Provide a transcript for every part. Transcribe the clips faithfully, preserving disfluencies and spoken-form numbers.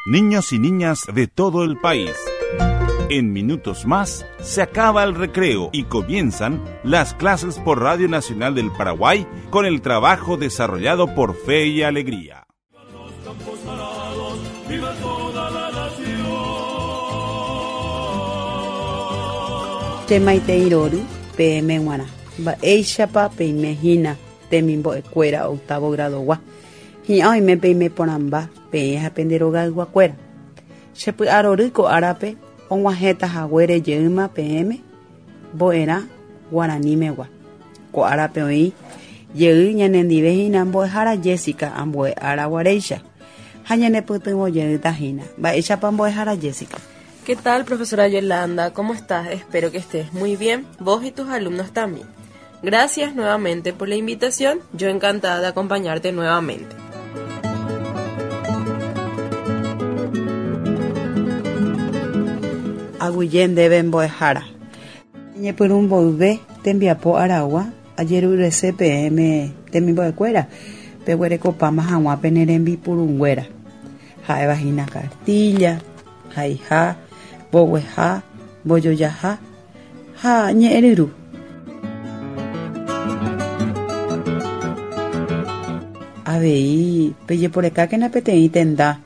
Niños y niñas de todo el país. En minutos más se acaba el recreo y comienzan las clases por Radio Nacional del Paraguay con el trabajo desarrollado por Fe y Alegría. Che irory peẽme g̃uarã mba'éichapa peimehína temimbo'ekuéra octavo gradogua hi'ã oime peime porãmba peẽ ha pende rogayguakuéra chepy'arory ko árape og̃uahẽta haguére jeýma peẽme mbo'erã guaranimegua ko árape oĩ jey ñanendive hína mbo'ehára Jessica ambue ára guaréicha ha ñanepytyvõ jeýta hína mba'éichapa mbo'ehára Jessica. ¿Qué tal, profesora Yolanda? ¿Cómo estás? Espero que estés muy bien, vos y tus alumnos también. Gracias nuevamente por la invitación, yo encantada de acompañarte nuevamente. Aguyje ndéve mbo'ehára. Ñepyrũ mboyve tembiapo aragua ajerurese peẽme temimbo'ekuéra peguerekopáma hag̃ua pene rembipurunguéra ha'éva hína cartilla, haiha, mbogueha, mbojojaha ha ñe'ẽryru. Avei pejeporekákena peteĩ tenda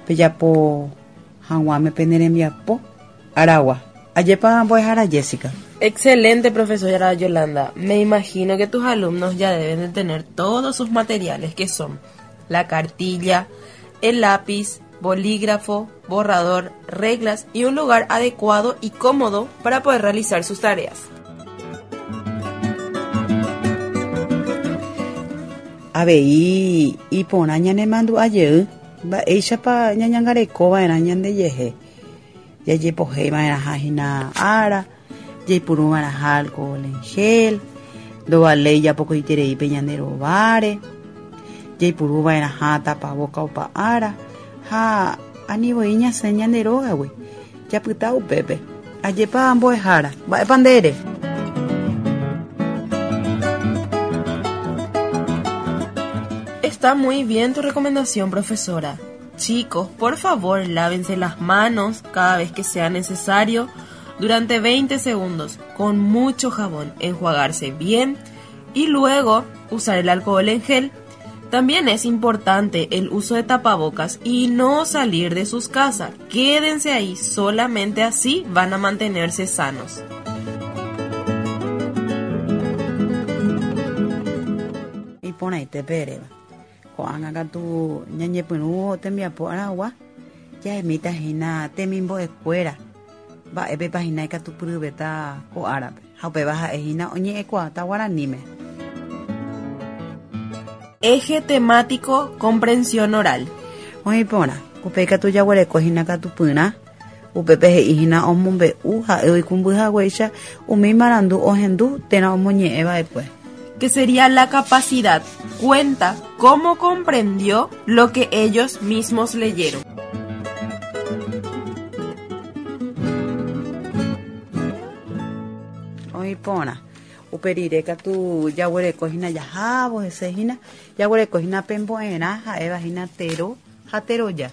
pejapo hag̃uáme pene rembiapo aragua. Ajépa mbo'ehára Jessica. Excelente, profesora Yolanda. Me imagino que tus alumnos ya deben de tener todos sus materiales, que son la cartilla, el lápiz, bolígrafo, borrador, reglas y un lugar adecuado y cómodo para poder realizar sus tareas. Avei iporã ñanemandu'a jey mba'éichapa ñañangarekova'erã ñandejehe jajepohéiva'erãha hína ára jaipuruva'erãha alcohol en gel ndovaléi japokoitereípe ñande rováre jaipuruva'erãha tapaboka opa ára ha anivoi ñasẽ ñande rógagui japyta upépe ajépa mbo'ehára mba'épa ndére. Está muy bien tu recomendación, profesora. Chicos, por favor, lávense las manos cada vez que sea necesario durante veinte segundos con mucho jabón, enjuagarse bien y luego usar el alcohol en gel. También es importante el uso de tapabocas y no salir de sus casas. Quédense ahí, solamente así van a mantenerse sanos. Iporãite peréva. Ko'ág̃a katu ñañepyrũ tembiapo aragua jahemíta hína temimbo'ekuéra mba'épepa hína ikatupyryvéta ko árape ha upéva ha'e hína oñe'ẽkuaáta guaraníme. Eje temático comprensión oral. Oĩ porã upéi katu jaguereko hína katupyrã upépe he'i hína omombe'u ha'e oikũmbyhaguéicha umi marandu ohendu térã omoñe'ẽva'ekue. Que sería la capacidad, cuenta cómo comprendió lo que ellos mismos leyeron. Oĩ porã uperire katu jaguereko hína jahávo hese hína jaguereko hína pembo'erã ha'éva hína tero ha teroja.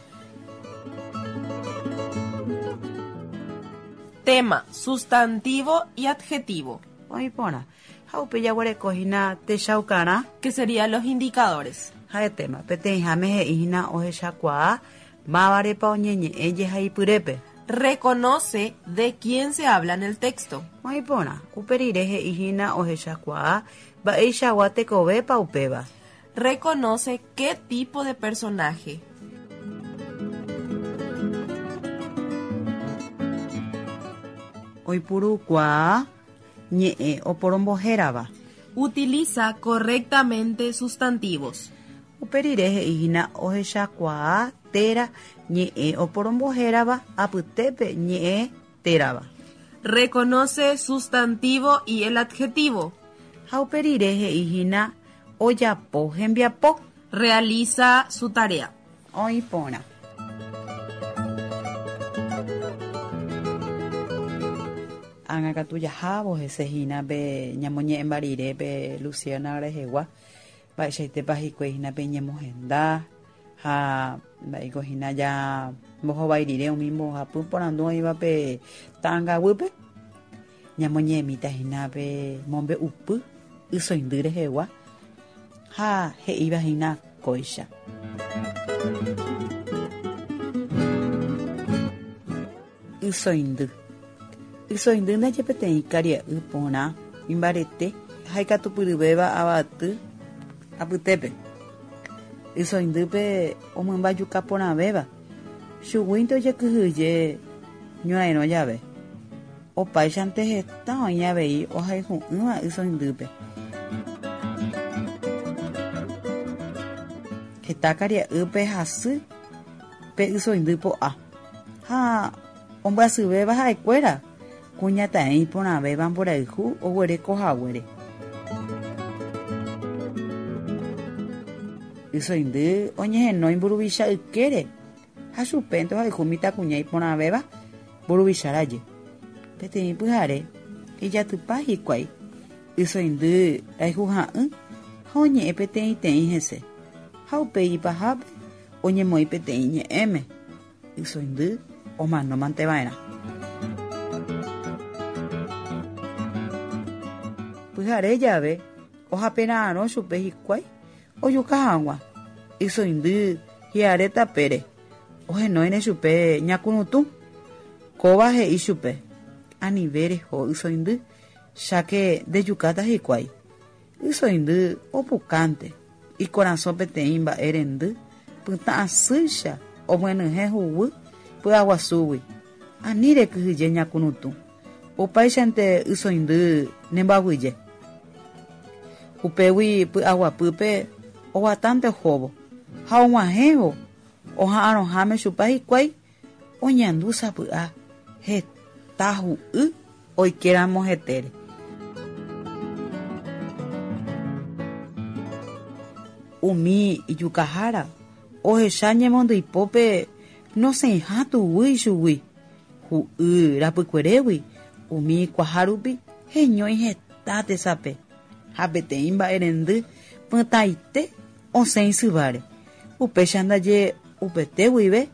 Tema, sustantivo y adjetivo. Oĩ porã ha upe jaguereko hína techaukarã, que serían los indicadores. Ha'e tema peteĩháme he'i hína ohechakuaa mávarepa oñeñe'ẽ jehaipyrépe. Reconoce de quién se habla en el texto. Oĩ porã uperire he'i hína ohechakuaa mba'eichagua tekovépa upéva. Reconoce qué tipo de personaje. Oipurukuaa ñe'ẽ oporombohérava. Utiliza correctamente sustantivos. Uperire he'i hína ohechakuaa térã ñe'ẽ oporombohérava apytépe ñe'ẽ térava. Reconoce sustantivo y el adjetivo. Ha uperire he'i hína ojapo hembiapo. Realiza su tarea. Oĩ porã. Ág̃a katu jahávo hese hína pe ñamoñe'ẽmba rire pe Luciana rehegua mba'eichaitépa hikuái hína pe ñemohenda Ha mba'éiko hína ja mbohovái rire umi mbohapy porandu oĩva pe ta'ãngaguýpe ñamoñe'ẽmíta hína pe mombe'upy ysoindy rehegua ha he'íva hína kóicha. Ysoindy. Ysoindy ndaje peteĩ karia'y porã imbarete ha ikatupyryvéva avaty apytépe. Ysoindýpe omymbajuka porãvéva chuguínte ojekyhyje ñorairõ jave. Opáichante heta oĩ avei ohayhu'ỹva ysoindýpe. Heta karia'ýpe hasy pe ysoindy po'a ha ombyasyvéva ha'ekuéra kuñataĩ iporãvéva mborayhu oguereko haguére. Ysoindy oñehenói mburuvicha ykére ha chupénte ohayhu mitãkuña iporãvéva mburuvicha raye. Peteĩ pyhare ijatypa hikuái ysoindy rayhuha'ỹ ha oñe'ẽ peteĩteĩ hese ha upéi ipahápe oñemoĩ peteĩ ñe'ẽme ysoindy omanómanteva'erã. Pyhare jave ohapera'arõ chupe hikuái ojuka hag̃ua ysoindy hi'are tapére ohenóine chupe ñakurutũ kóva he'i chupe anive reho ysoindy cháke ndejukáta hikuái. Ysoindy opukánte ikorasõ peteĩ mba'e rendy pytã asýicha omyenyhẽ huguy py'aguasúgui ani rekyhyje ñakurutũ opáichante ysoindy nemboaguyje. Upégui py'aguapýpe oguatánte ohóvo ha og̃uahẽvo oha'arõháme chupa hikuái oñandu sapy'a heta hu'y oikéramo hetére. Umi ijukahára ohecha ñemondyipópe nosẽiha tuguy ichugui hu'y rapykuerégui umi kuahárupi heñói heta tesape ha peteĩ mba'erendy pytãite osẽ isyváre. Upéicha ndaje upete guive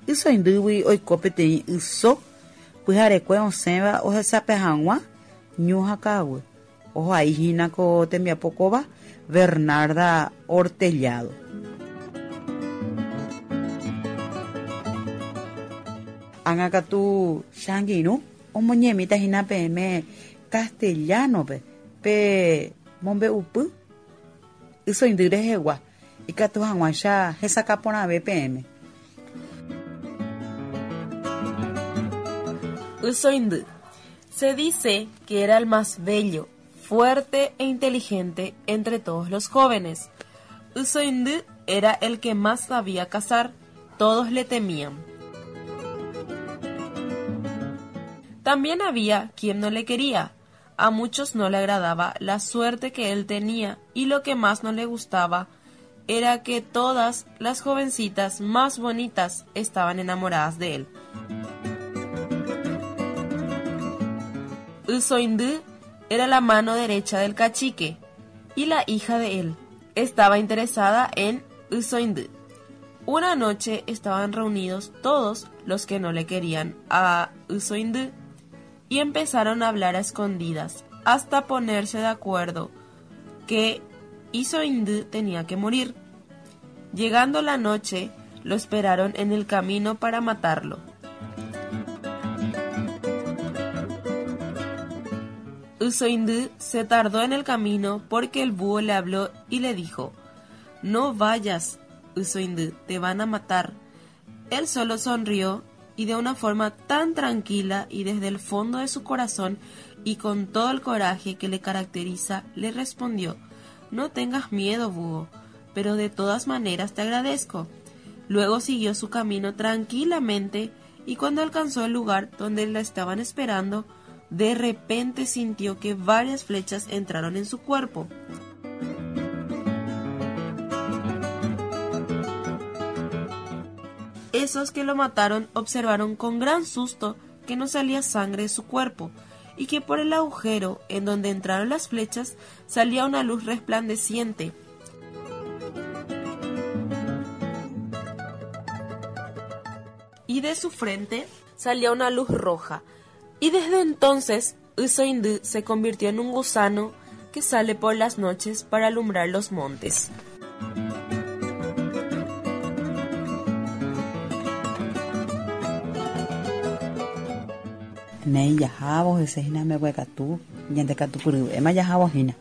ysoindýgui oiko peteĩ yso pyharekue osẽva ohesape hag̃ua ñu ha ka'aguy. Ohai hína ko tembiapo kóva Bernarda Ortellado. Ág̃a katu changirũ omoñe'ẽmíta hína peẽme castellano-pe pe mombe'upy ysoindy rehegua ikatu hag̃uáicha hesakã porãve peẽme. Ysoindy. Se dice que era el más bello, fuerte e inteligente entre todos los jóvenes. Ysoindy era el que más sabía cazar, todos le temían. También había quien no le quería. A muchos no le agradaba la suerte que él tenía y lo que más no le gustaba era que todas las jovencitas más bonitas estaban enamoradas de él. Ysoindy era la mano derecha del cacique y la hija de él estaba interesada en Ysoindy. Una noche estaban reunidos todos los que no le querían a Ysoindy y empezaron a hablar a escondidas hasta ponerse de acuerdo que Ysoindy tenía que morir. Llegando la noche, lo esperaron en el camino para matarlo. Ysoindy se tardó en el camino porque el búho le habló y le dijo: No vayas, Ysoindy, te van a matar. Él solo sonrió y de una forma tan tranquila y desde el fondo de su corazón y con todo el coraje que le caracteriza, le respondió: No tengas miedo, búho, pero de todas maneras te agradezco. Luego siguió su camino tranquilamente y cuando alcanzó el lugar donde la estaban esperando, de repente sintió que varias flechas entraron en su cuerpo. Esos que lo mataron observaron con gran susto que no salía sangre de su cuerpo y que por el agujero en donde entraron las flechas salía una luz resplandeciente. Y de su frente salía una luz roja. Y desde entonces Ysoindy se convirtió en un gusano que sale por las noches para alumbrar los montes. Nei jahávo hese hína mbeguekatu, ñandekatupyryvéma jahávo hína.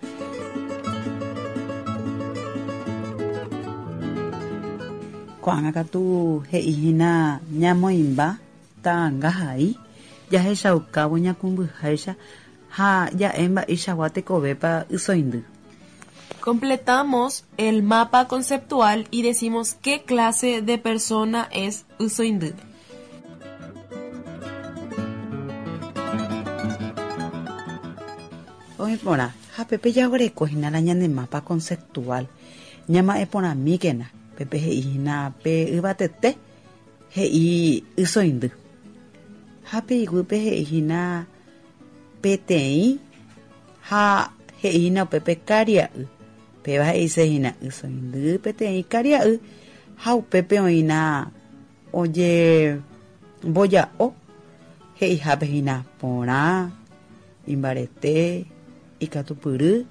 Ko'ág̃a katu he'i hína ñamoĩmba ta'ãngahai jahechaukávo ñakumbyháicha ha ja'e mba'eichagua tekovépa ysoindy. Completamos el mapa conceptual y decimos qué clase de persona es Ysoindy. Oĩporã ha pépe jaguereko hína la ñane mapa conceptual ñama'ẽporãmíkena pépe he'i hína pe yvatete he'i ysoindy ha pe iguýpe he'i hína peteĩ ha he'i hína upépe karia'y péva he'ise hína ysoindy peteĩ karia'y ha upépe oĩna ojemboja'o he'ihápe hína porã imbarete ikatupyry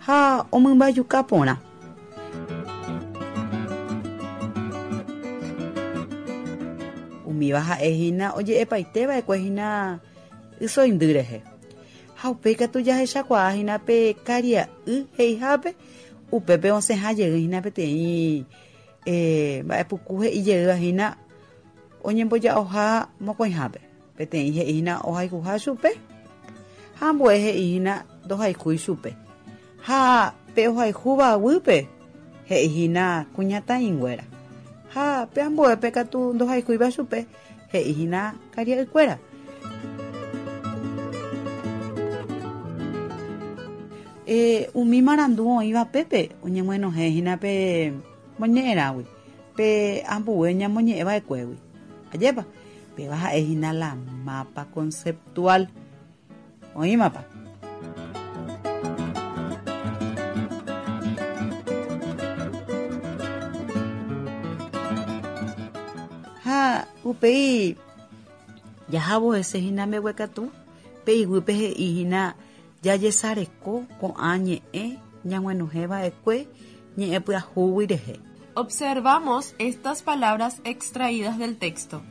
ha omymbajuka porã. Umíva ha'e hína oje'epaiteva'ekue hína ysoindy rehe. Ha upéi katu jahechakuaa hína pe karia'y he'ihápe upépe osẽha jey hína peteĩ eh, mba'epuku he'i jeýva hína oñemboja'oha mokõihápe. Peteĩ he'i hína ohayhuha chupe ha ambue he'i hína ndohaykúi chupe. Ha pe ohayhúva guýpe he'i hína kuñataĩnguéra. Ha pe ambuépe katu ndohaykúiva chupe he'i hína karia'ykuéra. Eh, umi marandu oĩva pépe oñeguenohẽ hína pe moñe'ẽrãgui pe ambue ñamoñe'ẽva'ekuégui. Ajépa péva ha'e hína la mapa conceptual. Oĩmapa. Ha upéi jahávo hese hína mbeguekatu pe iguýpe he'i hína jajesareko ko'ã ñe'ẽ ñaguenohẽva'ekue ñe'ẽpyahúgui rehe. Observamos estas palabras extraídas del texto.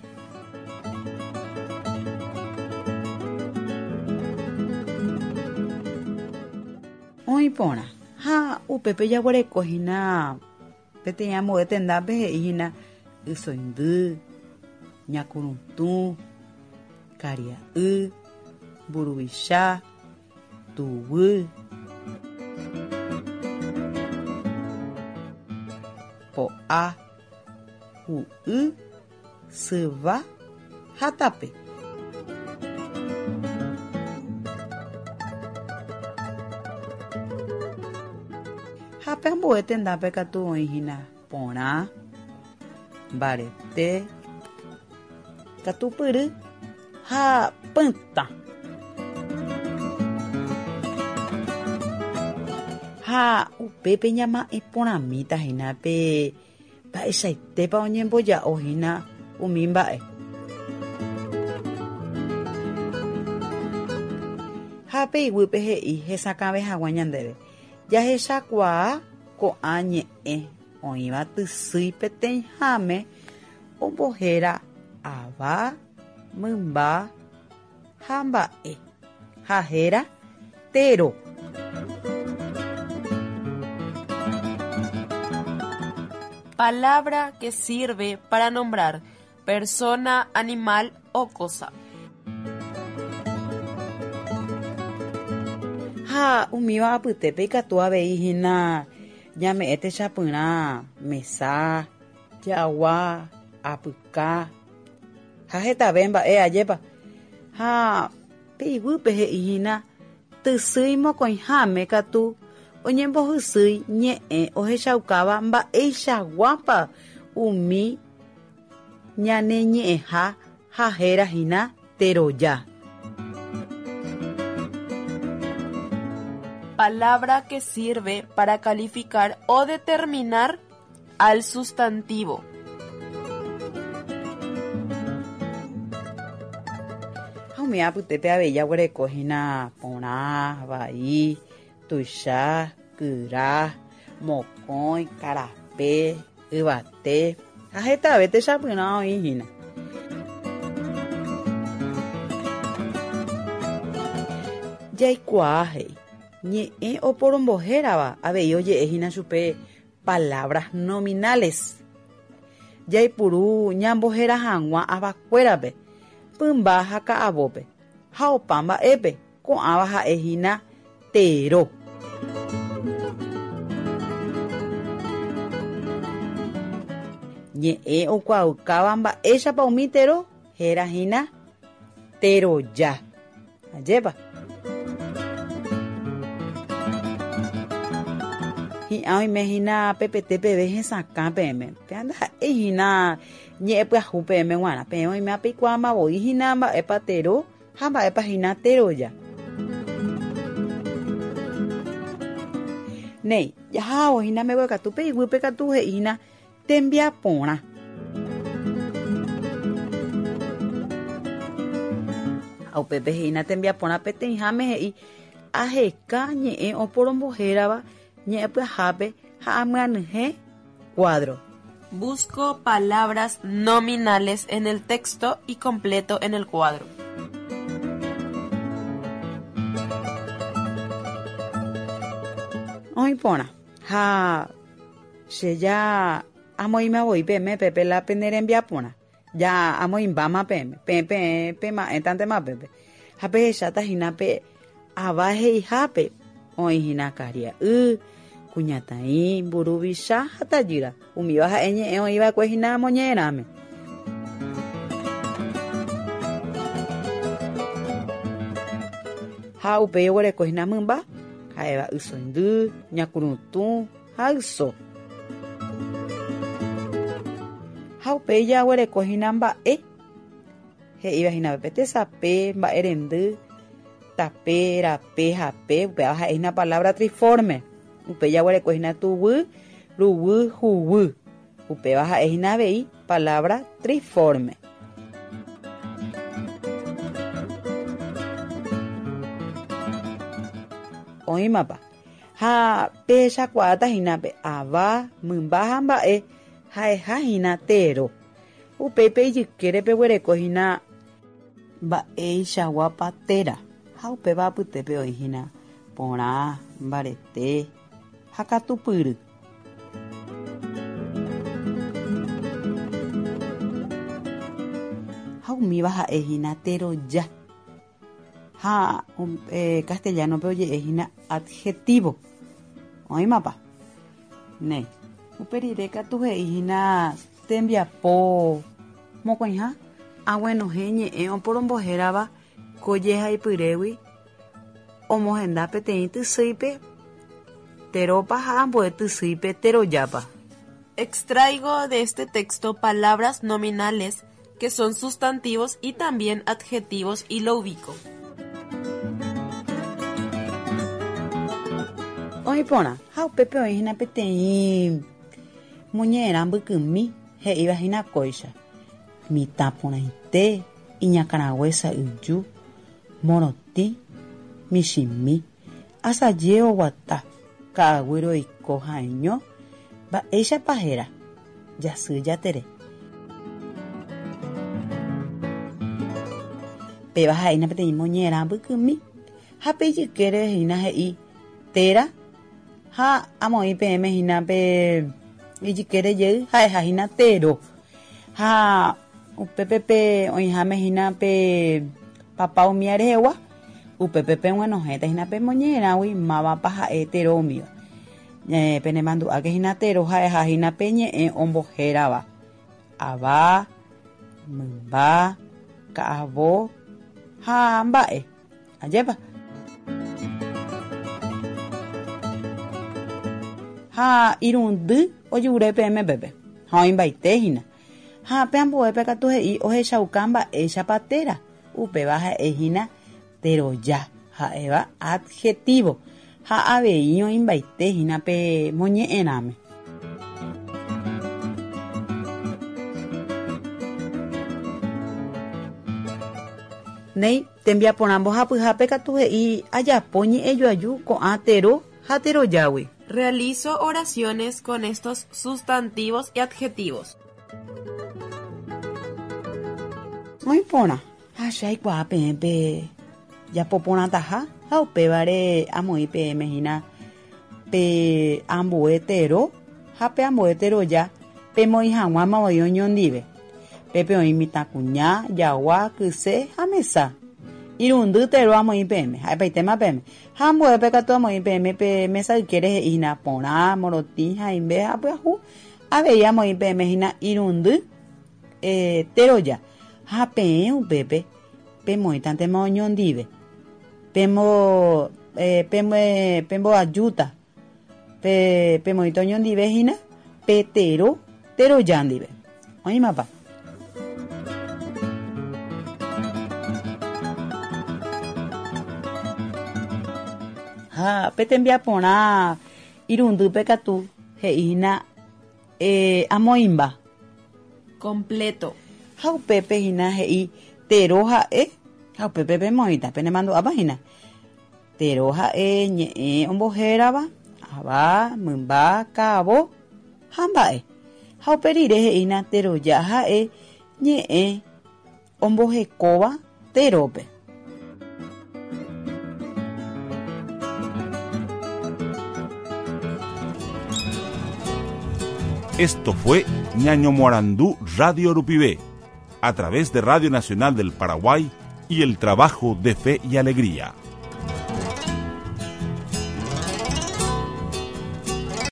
Oĩporã ha upépe jaguereko hína peteĩ ambue tendápe he'i hína ysoindy, ñakurutũ, karia'y, mburuvicha, tuguy, po'a, hu'y, syva ha tape. Ha pe ambue tendápe katu oĩ hína porã, mbarete, katupyry ha pytã. Ha upépe ñama'ẽporãmíta hína pe mba'eichaitépa oñemboja'o hína umi mba'e. Ha pe iguýpe he'i hesakãve hag̃ua ñandéve. Jahechakuaa ko'ã ñe'ẽ oĩva tysýi peteĩháme ombohéra ava, mymba ha mba'e ha héra tero. Palabra que sirve para nombrar persona, animal o cosa. Ha umíva apytépe ikatu avei hína ñame'ẽ techapyrã mesa, jagua, apyka ha hetave mba'e ajépa. Ha pe iguýpe he'i hína tysýi mokõiháme katu oñembohysýi ñe'ẽ ohechaukáva mba'eichaguápa umi ñane ñe'ẽha ha héra hína teroja. Palabra que sirve para calificar o determinar al sustantivo. Ha umi apytépe avei jaguereko hína porã, vai, tuicha, kyra, mokõi, karape, yvate ha hetave techapyrã oĩ hína. Jaikuaa he'i ñe'ẽ oporombohérava avei oje'e hína chupe palabras nominales. Jaipuru ñambohéra hag̃ua avakuérape, pymba ha ka'avópe ha opa mba'épe ko'ãva ha'e hína tero. Ñe'ẽ okuaukáva mba'éichapa umi tero héra hína teroja. Ajépa. Hi'ã oime hína pepete peve hesakã peẽme. Pe ndaha'éi hína ñe'ẽ pyahu peẽme g̃uarã. Peẽ oime apeikuaamavoi hína mba'épa tero ha mba'épa hína teroja. Néi, jahávo hína mbeguekatu pe iguýpe katu he'i hína tembiaporã. Ha upépe he'ína tembiaporã peteĩháme he'i aheka ñe'ẽ oporombohérava ñe'ẽ pyahápe ha amyanyhẽ cuadro. Busco palabras nominales en el texto y completo en el cuadro. Oĩ porã. Ha che ja amoĩmavoi peẽme pépe la pene rembiaporã. Ja amoĩmbáma peẽme. Peẽ peẽ pema'ẽtantema pépe. Ha pehecháta hína pe ava he'ihápe oĩ hína karia'y, kuñataĩ, mburuvicha ha tajýra. Umíva ha'e ñe'ẽ oĩva'ekue hína moñe'ẽrãme. Ha upéi oguereko hína mymba, ha'éva ysoindy, ñakurutũ ha yso. Ha upéi jaguereko hína mba'e he'íva hína pépe tesape, mba'erendy, tape, rape, hape, upéva ha'e hína palabra triforme. Upéi jaguereko hína tuguy, ruguy, huguy. Upéva ha'e hína avei palabra triforme. Oĩmapa. Ha pehechakuaáta hína pe ava, mymba ha mba'e ha'eha hína tero. Upéi pe ijykére peguereko hína mba'eichaguápa téra. Ha upéva apytépe oĩ hína porã, mbarete ha katupyry. Ha umíva ha'e hína teroja. Ha eh, castellano-pe oje'e hína adjetivo. Oĩmapa. Néi. Upe rire katu he'i hína tembiapo mokõiha aguenohẽ ñe'ẽ oporombohérava ko jehaipyrégui omohenda peteĩ tysýipe terópa ha ambue tysýipe terojápa. Extraigo de este texto palabras nominales que son sustantivos y también adjetivos y lo ubico. Oĩ porã. Ha upépe oĩ hína peteĩ moñe'ẽrã mbykymi he'íva hína kóicha. Mitã porãite, iñakãrague sa'yju, morotĩ, michĩmi, asaje oguata, ka'aguy roiko ha'eño, mba'éichapa héra, jasy jatere. Péva ha'éna peteĩ moñe'ẽrã mbykymi ha pe ijykére hína he'i téra ha amoĩ peẽme hína pe ijykére jey ha'eha hína tero. Ha upépe pe oĩháme hína pe papa umía rehegua, upépe peg̃uenohẽta hína pe moñe'ẽrãgui mávapa ha'e tero umíva. Eh, penemandu'áke hína tero ha'eha hína pe ñe'ẽ ombohérava. Ava, mymba, ka'avo ha mba'e. Ajépa. Ha irundy ojure peẽme pépe. Ha oĩmbaite hína. Ha pe ambuépe katu he'i ohechauka mba'éichapa téra. Upéva ha'e hína teroja ha'éva adjetivo. Ha avei oĩmbaite hína pe moñe'ẽrãme. Néi tembiaporã mbohapyhápe katu he'i ajapo ñe'ẽjoaju ko'ã tero ha terojágui. Realizo oraciones con estos sustantivos y adjetivos. Oĩ porã. Ha che aikuaa peẽ pe japoporãtaha ha upévare amoĩ peẽme hína pe ambue tero ha pe ambue teroja pemoĩ hag̃uáma voi oñondive. Pépe oĩ mitãkuña, jagua, kyse ha mesa. Irundy tero amoĩ peẽme, ha'epaitéma peẽme. Ha ambuépe katu amoĩ peẽme pe mesa ykére he'i hína porã, morotĩ, haimbe ha pyahu. Avei amoĩ peẽme hína irundy eh, teroja. Ha peẽ upépe pemoĩtantema oñondive. Pemo, eh, pemo, pemboajúta. Pe, pemoĩta oñondive hína pe tero, teroja ndive. Oĩmapa. Ha pe tembiaporã irundýpe katu he'i hína eh, amoĩmba. Completo. Ha upépe hína he'i tero ha'e ha upépe pemoĩta penemandu'ápa hína. Tero ha'e ñe'ẽ ombohérava ava, mymba, ka'avo ha mba'e. Ha upe rire he'i hína teroja ha'e ñe'ẽ ombohekóva terópe. Esto fue Ñaño Morandú Radio Rupivé, a través de Radio Nacional del Paraguay y el trabajo de Fe y Alegría.